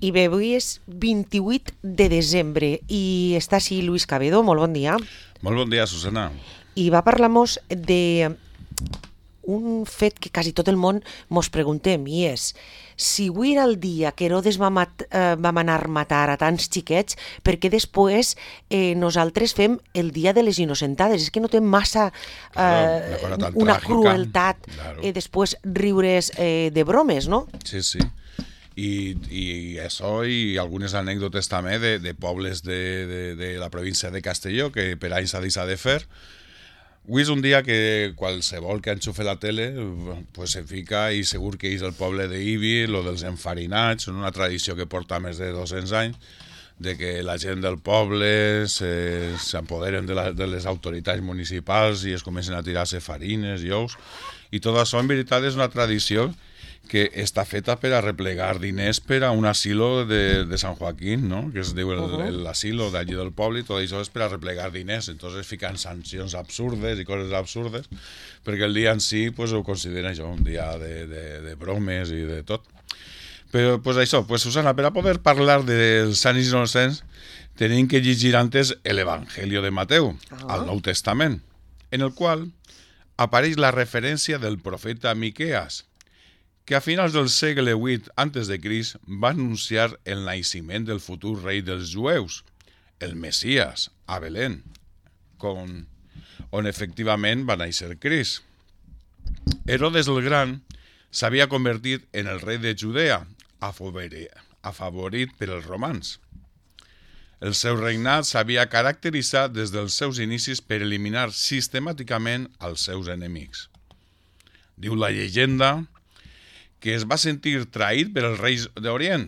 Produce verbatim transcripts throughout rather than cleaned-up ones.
I bé, avui és vint-i-vuit de desembre i està així Luis Cabedo, molt bon dia. Molt bon dia, Susana. I va parlar-nos de un fet que quasi tot el món mos preguntem, i és si avui era el dia que Herodes va, mat, eh, va manar matar a tants xiquets, perquè després eh, nosaltres fem el dia de les innocentades. És que no té massa eh, claro, una, una tràgica, crueltat claro. eh, després riure's eh, de bromes, no? Sí, sí. I, i això i algunes anècdotes també de, de pobles de, de, de la província de Castelló que per anys s'ha deixat de fer. Avui és un dia que qualsevol que enxufe la tele pues se fica i segur que és el poble d'Ibi, lo dels enfarinats, una tradició que porta més de dos-cents anys, de que la gent del poble s'empoderen de, la, de les autoritats municipals i es comencen a tirar-se farines i ous. I tot això, en veritat, és una tradició que està feta per a replegar diners per a un asilo de, de Sant Joaquín, no? Que es diu l'asilo d'allí del poble, i tot això és per a replegar diners. Entonces fican sancions absurdes i coses absurdes, perquè el dia en si pues, ho considera això, un dia de, de, de bromes i de tot. Però pues, això, pues, Susana, per a poder parlar dels sants innocents tenim que llegir antes l'Evangelio de Mateu, ah. al Nou Testament, en el qual apareix la referència del profeta Miqueas, que a finals del segle vuit antes de Crist va anunciar el naixement del futur rei dels jueus, el Messias, a Belén, con, on efectivament va néixer Crist. Herodes el Gran s'havia convertit en el rei de Judea, afavorit per els romans. El seu regnat s'havia caracteritzat des dels seus inicis per eliminar sistemàticament els seus enemics. Diu la llegenda que es va sentir traït per els reis d'Orient.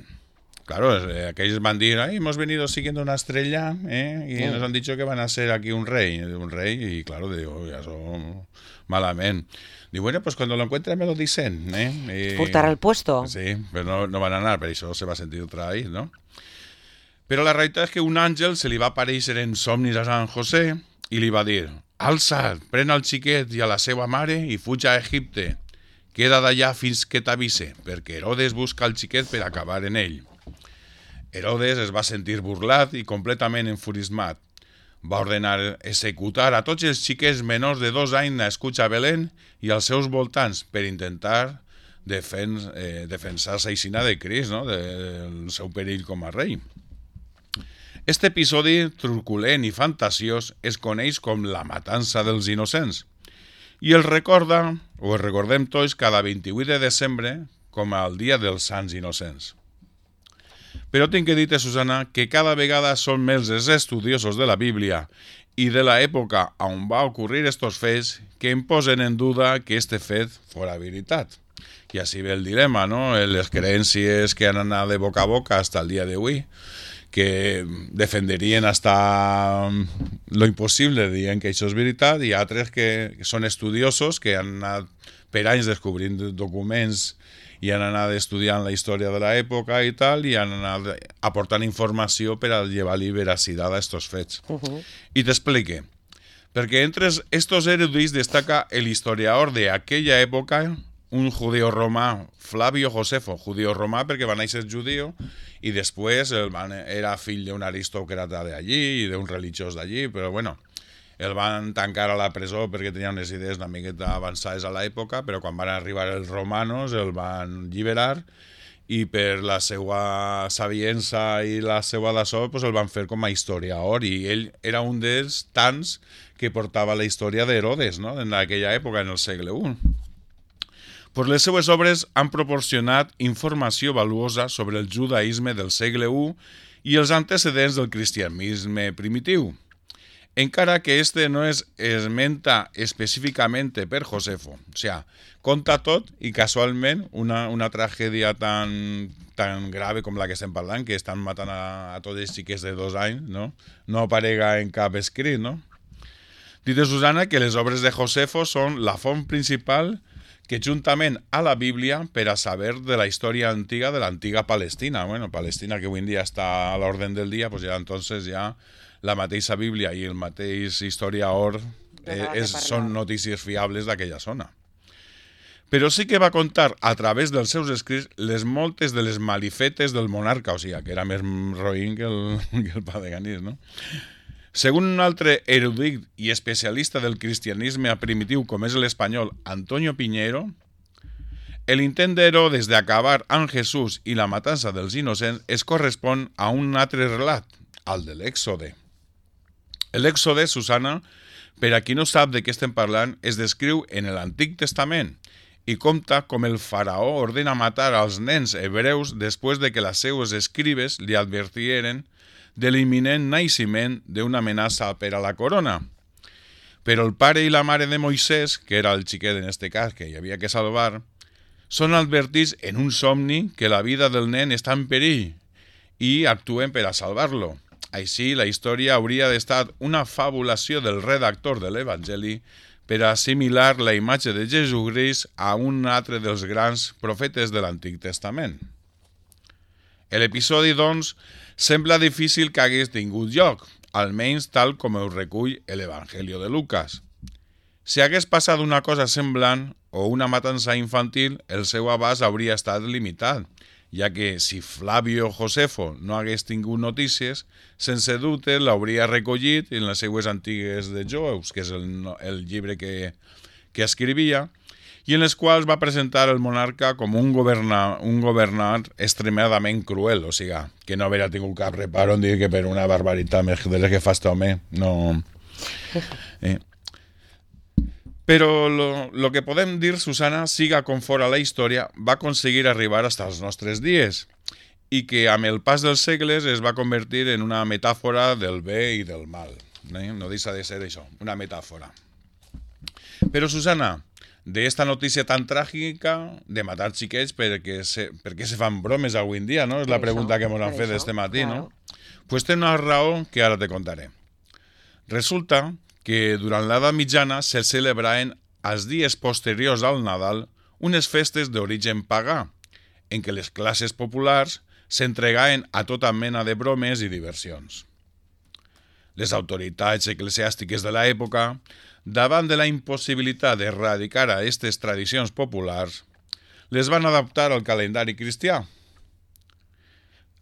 Claro, eh, aquells van dir, ay, hemos venido siguiendo una estrella, eh, y mm. nos han dicho que van a ser aquí un rey, un rey, y claro, digo, ya son malament. Digo, bueno, pues cuando lo encuentren me lo dicen, eh. Y, portar al puesto. Sí, però no, no van anar, per això se va sentir traït, no? Però la realitat és que un àngel se li va aparèixer en somnis a Sant José i li va dir, alça't, pren el xiquet i a la seva mare i fuig a Egipte. Queda d'allà fins que t'avise, perquè Herodes busca el xiquet per acabar en ell. Herodes es va sentir burlat i completament enfurismat. Va ordenar executar a tots els xiquets menors de dos anys nascuts a Belén i als seus voltants per intentar defens, eh, defensar-se aixina de Crist, no? Del seu perill com a rei. Este episodi truculent i fantasiós es coneix com la matança dels innocents. I el recorda, o el recordem tots, cada vint-i-vuit de desembre com el dia dels sants innocents. Però tinc que dir-te, Susana, que cada vegada són més els estudiosos de la Bíblia i de l'època on va ocórrer estos fets que em posen en duda que este fet fora veritat. I així ve el dilema, no? Les creencies que han anat de boca a boca fins al dia d'avui, que defenderien hasta lo impossible, dient que això és veritat, i altres que són estudiosos, que han anat per anys descobrint documents i han anat estudiant la història de l'època i tal, i han anat aportant informació per a llevar-li veracitat a estos fets. Uh-huh. I t'explique. Perquè entre estos erudits destaca el historiador de aquella època, un judío romà, Flavio Josefo, judío romà perquè va néixer judío i després el van, era fill d'un aristòcrata d'allí i d'un religiós d'allí, però bueno, el van tancar a la presó perquè tenia unes idees una miqueta avançades a l'època, però quan van arribar els romanos el van alliberar i per la seva saviença i la seva d'açò pues el van fer com a historiador i ell era un dels tants que portava la història d'Herodes, no? En aquella època, en el segle u. Pues les seues obres han proporcionat informació valuosa sobre el judaïsme del segle u i els antecedents del cristianisme primitiu, encara que este no es esmenta específicament per Josefo. O sea, conta tot i casualment una, una tragèdia tan, tan grave com la que estem parlant, que estan matant a, a tots els xiquets de dos anys, no? No aparega en cap escrit, no? Dite Susana que les obres de Josefo són la font principal que juntament a la Bíblia per a saber de la història antiga de l'antiga Palestina. Bueno, Palestina que avui en dia està a l'ordre del dia, pues ja entonces ja la mateixa Bíblia i el mateix historiador eh, és, són notícies fiables d'aquella zona. però sí que va contar a través dels seus escrits les moltes de les malifetes del monarca, o sigui, que era més roïn que el, que el pa de Ganís, no? Según un altre erudit i especialista del cristianisme primitiu com és l'espanyol Antonio Piñero, el intent d'Herodes d'acabar amb Jesús i la matança dels innocents es correspon a un altre relat, el de l'Èxode. L'Èxode, Susana, per a qui no sap de què estem parlant, es descriu en l'Antic Testament i compta com el faraó ordena matar als nens hebreus després de que les seues escribes li advertieren de l'imminent naixement d'una amenaça per a la corona. Però el pare i la mare de Moisès, que era el xiquet en este cas que hi havia que salvar, són advertits en un somni que la vida del nen està en perill i actuen per a salvar-lo. Així, la història hauria d'estar una fabulació del redactor de l'Evangeli per a assimilar la imatge de Jesucrist a un altre dels grans profetes de l'Antic Testament. L'episodi, doncs, sembla difícil que hagués tingut lloc, almenys tal com ho recull l'Evangeli de Lucas. Si hagués passat una cosa semblant o una matança infantil, el seu abast hauria estat limitat, ja que si Flavio Josefo no hagués tingut notícies, sense dubte l'hauria recollit en les seues antigues de Jueus, que és el, el llibre que, que escrivia, i en les quals va presentar el monarca com un, governa, un governant extremadament cruel, o sigui, que no hauria tingut cap reparo en dir que per una barbaritat més de les que fa este home, no... Eh. Però lo, lo que podem dir, Susana, siga com fora la història, va aconseguir arribar fins als nostres dies i que amb el pas dels segles es va convertir en una metàfora del bé i del mal. Eh? No deixa de ser això, una metàfora. Però, Susana, d'esta notícia tan tràgica de matar xiquets, perquè se, per què se fan bromes avui en dia, no? És la pregunta que ens han fet este matí, no? Pues té una raó que ara te contaré. Resulta que durant l'edat mitjana se celebraven els dies posteriors al Nadal unes festes d'origen pagà, en què les classes populars s'entregaven a tota mena de bromes i diversions. Les autoritats eclesiàstiques de l'època, davant de la impossibilitat d'erradicar a aquestes tradicions populars, les van adaptar al calendari cristià.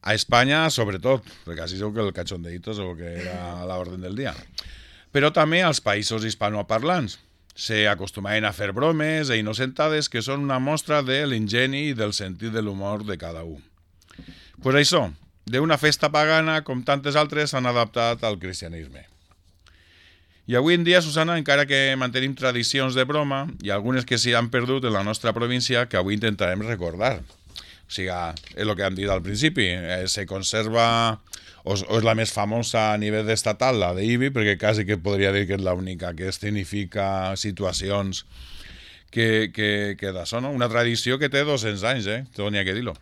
A Espanya, sobretot, perquè així segur que el cachondeito segur que era a l'ordre del dia. Però també als països hispanoparlants. Se acostumaven a fer bromes e innocentades que són una mostra de l'ingeni i del sentit de l'humor de cada un. Pues això, d'una festa pagana com tantes altres s'han adaptat al cristianisme. I avui en dia, Susana, encara que mantenim tradicions de broma, hi ha algunes que s'hi han perdut en la nostra província que avui intentarem recordar. O sigui, és el que hem dit al principi, eh, se conserva, o, o és la més famosa a nivell estatal, la d'Ibi, perquè quasi que podria dir que és l'única que escenifica situacions que, que, que d'això, no? Una tradició que té dos-cents anys, eh? Tot n'hi ha que dir-ho.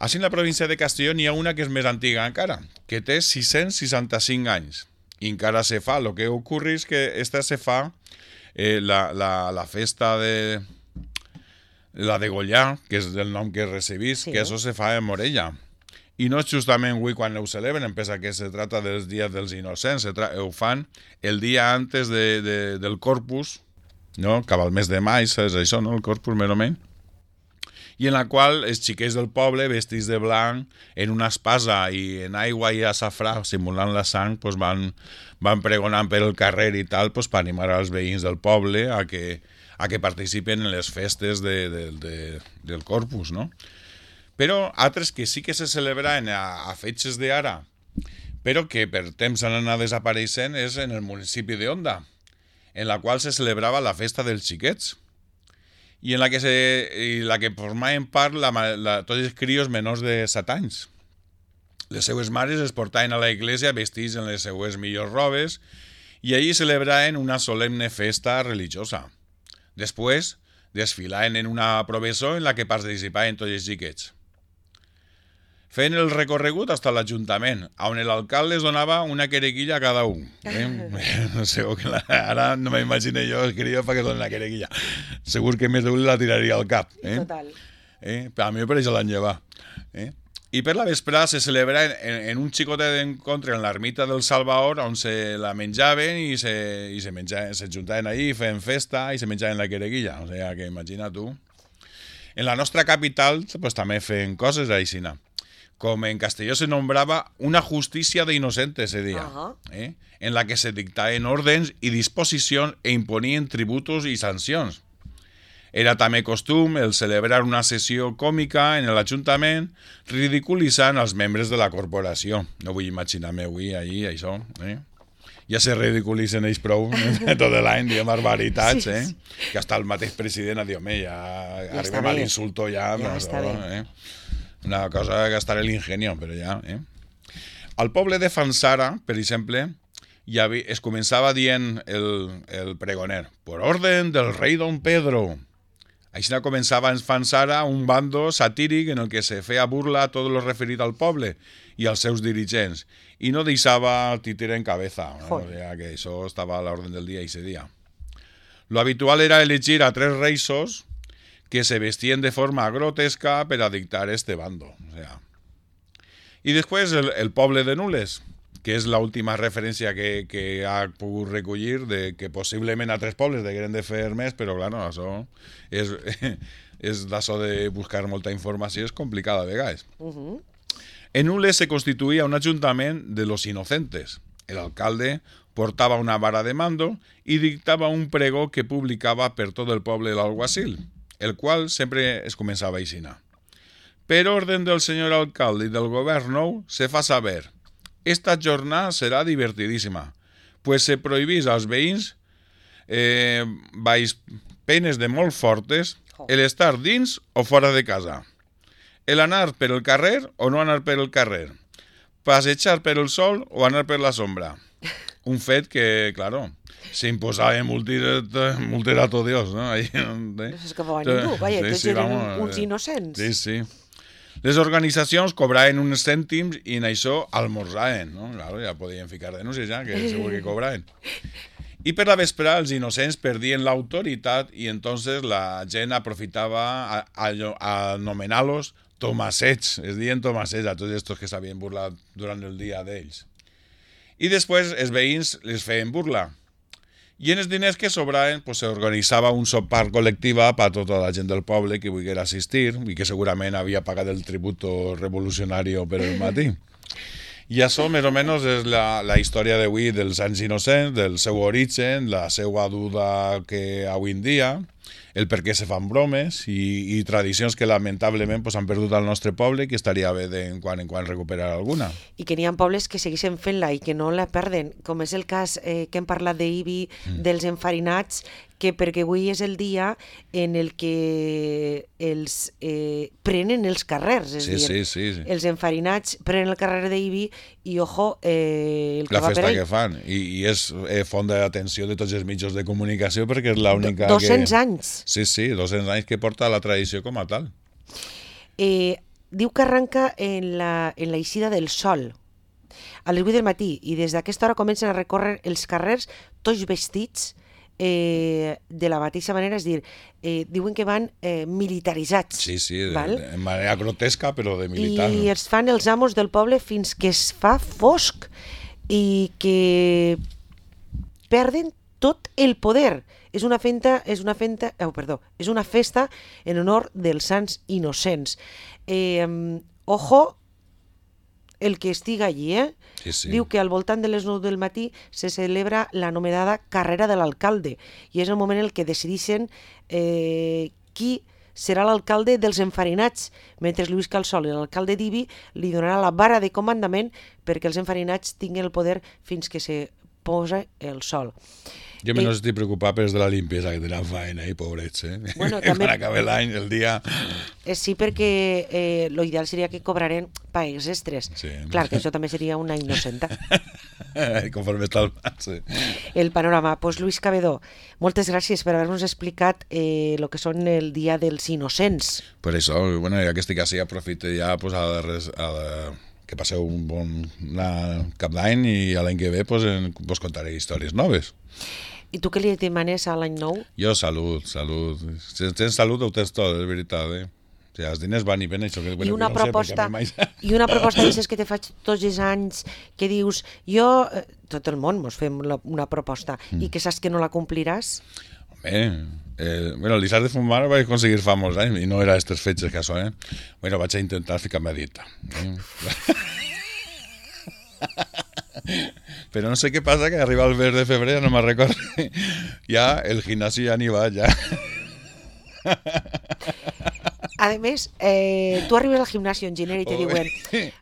Així en la província de Castelló n'hi ha una que és més antiga encara, que té sis-cents seixanta-cinc anys, i encara se fa. El que ocorre és que esta se fa, eh, la, la, la festa de... la de Gollà, que és el nom que recebís, sí. Que això se fa en Morella. I no és justament avui quan ho celebren, pensa que se trata dels dies dels innocents, se tra- ho fan el dia antes de, de, del Corpus, no? Cap al mes de maig, és això, no? El Corpus, més o menys. I en la qual els xiquets del poble, vestits de blanc, en una espasa i en aigua i açafrà, simulant la sang, pues van, van pregonant per el carrer i tal, pues, per animar als veïns del poble a que, a que participen en les festes de, de, de, del Corpus, no? Però altres que sí que se celebraven a, a fetges d'ara, però que per temps han anat desapareixent, és en el municipi d'Onda, en la qual se celebrava la festa dels xiquets, i en la que, se, i la que formaven part la, la, tots els crios menors de set anys. Les seues mares es portaven a la iglesia vestits en les seues millors robes i allí celebraven una solemne festa religiosa. Després, desfilaven en una processó en la que participaven tots els xiquets. Feien el recorregut fins a l'Ajuntament, on l'alcalde les donava una querequilla a cada un. Eh? No sé, que la, ara no m'imagino jo escriure perquè donen la querequilla. Segur que més d'un la tiraria al cap. Eh? Total. Eh? Per a mi per això l'han llevat. Eh? I per la vesprada se celebra en, en, en un xicotet d'encontre en l'ermita del Salvador on se la menjaven i se, i se, menjaven, se juntaven allí, feien festa i se menjaven la quereguilla. O sigui que imagina tu. En la nostra capital pues, també feien coses aixina. Com en Castelló se nombrava una justícia d'innocentes, se deia, uh-huh. eh? en la que se dictaven ordens i disposicions e imponien tributos i sancions. Era també costum el celebrar una sessió còmica en l'Ajuntament ridiculitzant els membres de la corporació. No vull imaginar-me avui allí, això. Eh? Ja se ridiculitzen ells prou tot l'any, diem barbaritats, eh? Que hasta el mateix president ha dit, home, ja, ja arribem a l'insulto ja. Ja però, està bé. Eh? Una cosa que gastar l'ingenio, però ja. Eh? Al poble de Fanzara, per exemple, ja es començava dient el, el pregoner, por orden del rei Don Pedro. Així començava en Fanzara un bando satíric en el que se feia burla a tot lo referit al poble i als seus dirigents, i no deixava títere en cabeza. ¿No? O sea, que això estava a l'ordre del dia ese dia. Lo habitual era elegir a tres reisos que se vestían de forma grotesca per a dictar este bando. O sea. I després el, el poble de Nules, que és l'última referència que, que ha pogut recollir de que possiblement altres pobles degueren de fer més, però clar, no, això és, és d'això de buscar molta informació, és complicada a vegades. Uh-huh. En Nules se constituía un ajuntament de los inocentes. El alcalde portava una vara de mando y dictava un pregó que publicava per tot el poble l'alguacil, el qual sempre es començava a aixina. Per orden del senyor alcalde i del govern nou, se fa saber: esta jornada serà divertidíssima, pues se prohibís als veïns, eh, baix penes de molt fortes, el estar dins o fora de casa, el anar per el carrer o no anar per el carrer, passejar per el sol o anar per la sombra. Un fet que, claro, se imposava en multirato Dios, ¿no? Ahí, no s'escapava ningú, vaja, tots sí, eren vamos, uns innocents. Sí, sí. Les organitzacions cobraven uns cèntims i en això almorzaven, no? Claro, ja podien ficar denúncies ja, que segur que cobraven. I per la vesprada els innocents perdien l'autoritat i entonces la gent aprofitava a, a, a anomenar-los tomasets, es diuen tomasets a tots estos que s'havien burlat durant el dia d'ells. I després els veïns les feien burla. I en els diners que sobraven pues, s'organitzava un sopar col·lectiva per a tota la gent del poble que volguera assistir i que segurament havia pagat el tributo revolucionari per el matí. I això més o menys és la, la història d'avui dels anys innocents, del seu origen, la seva duda que avui en dia, el per què se fan bromes i, i tradicions que lamentablement pues, han perdut al nostre poble i que estaria bé de en quan en quan recuperar alguna. I que n'hi ha pobles que segueixen fent-la i que no la perden, com és el cas eh, que hem parlat d'Ibi, mm. dels enfarinats, que perquè avui és el dia en el que els eh, prenen els carrers, és sí, dir, sí, sí, sí. els enfarinats prenen el carrer d'Ibi i, ojo, eh, el que la va per festa ell. que fan, i, i és eh, font d'atenció de tots els mitjans de comunicació perquè és l'única dos-cents que... anys. Sí, sí, dos-cents anys que porta la tradició com a tal. Eh, diu que arranca en la, en la eixida del sol, a les vuit del matí, i des d'aquesta hora comencen a recórrer els carrers tots vestits Eh, de la mateixa manera, és dir, eh, diuen que van eh, militaritzats. Sí, sí, de, val? de manera grotesca, però de militar. I els fan els amos del poble fins que es fa fosc i que perden tot el poder. És una festa, és una festa, oh, perdó, és una festa en honor dels sants innocents. Eh, ojo, el que estiga allí, eh? Sí, sí. Diu que al voltant de les nou del matí se celebra l'anomenada carrera de l'alcalde i és el moment en el que decideixen eh, qui serà l'alcalde dels enfarinats, mentre Lluís Calsol, l'alcalde d'Ibi, li donarà la vara de comandament perquè els enfarinats tinguin el poder fins que se posa el sol. Jo menys eh, estic preocupat per de la limpiesa que tenen feina, eh, pobrets, eh? Bueno, també... Quan acabi l'any, el dia... Eh, sí, perquè eh, l'ideal seria que cobraren pagues extres. Sí. Clar, que això també seria una innocenta. Conforme està el... Sí. El panorama. Pues Luis Cavedó, moltes gràcies per haver-nos explicat eh, el que són el Dia dels Innocents. Per això, bueno, ja que estic així, aprofito ja pues, a, res, a que passeu un bon cap d'any i l'any que ve pues, en, pues, contaré històries noves. I tu què li demanes a l'any nou? Jo salut, salut. Si tens salut ho tens tot, és veritat, eh? O sigui, els diners van i ven, això que... I una proposta, i una proposta d'aixes que te faig tots els anys, que dius, jo, tot el món mos fem una proposta, mm. i que saps que no la compliràs? Home, eh, bueno, el Lizard de Fumar ho vaig aconseguir fa molts anys, i no era aquestes fetges que això, eh? Bueno, vaig a intentar ficar-me a dieta. Eh? Però no sé què passa, que arriba el mes de febrer, no me'n recordo, ja el gimnasio ja n'hi va, ja... A més, eh, tu arribes al gimnasio en gener i te diuen,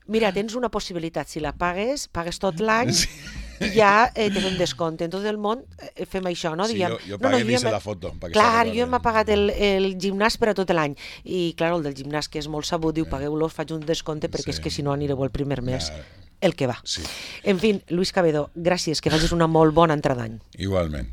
mira, tens una possibilitat, si la pagues, pagues tot l'any, sí. I ja eh, te fem descompte. En tot el món eh, fem això, no? Sí, Diem, jo, jo pagué no, no, jo la foto. Clar, jo m'ha pagat el, el gimnàs per a tot l'any. I, clar, el del gimnàs, que és molt sabut, diu, pagueu-lo, faig un descompte, perquè sí. És que si no anireu el primer mes. Ja. El que va. Sí. En fi, Luis Cabedo, gràcies, que facis una molt bona entrada d'any. Igualment.